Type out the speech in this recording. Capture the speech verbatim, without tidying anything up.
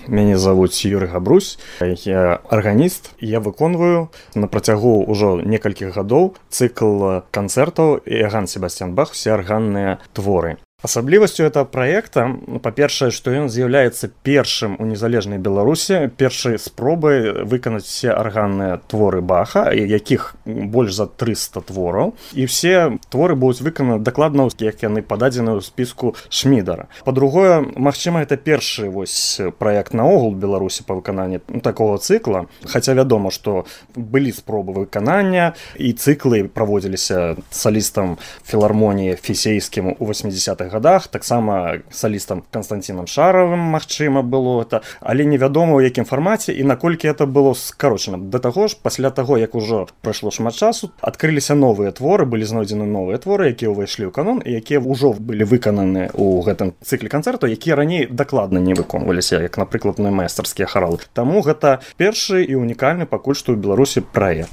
Мяне завуць Юрый Габрусь, я арганіст. Я выконваю на працягу ўжо некалькіх гадоў цыкл канцэртаў Іоганн Себастьян Бах «Усе арганныя творы». Асаблівасцю этого праекта, па-першае, што ён з'яўляецца першым у незалежнай Беларусі, першай спробай выканаць все арганныя творы Баха, якіх больш за трыста твораў, і все творы будуць выкананы дакладна, як яны пададзены ў спіску Шмідара. Па-другое, магчыма, гэта першы вось праект наогул Беларусі па выкананні такого цыкла, хаця вядома, што былі спробы выканання, і цыклы праводзіліся салістам філармоніі фісейскім у восьмідзесятых годах, таксама салістам Константинам Шаровым, магчыма, было это, але невядома, у якім фармаце і наколькі это было скарочана. Да таго ж, пасля таго, як ужо прайшло шмат часу, адкрыліся новыя творы, былі знойдзены новыя творы, якія ўвайшлі ў канон і якія ўжо былі выкананы ў гэтым цыкле канцэрту, якія раней дакладна не выконваліся, як, напрыклад, майстарскія харалы. Таму гэта першы і унікальны пакуль што ў Беларусі праект.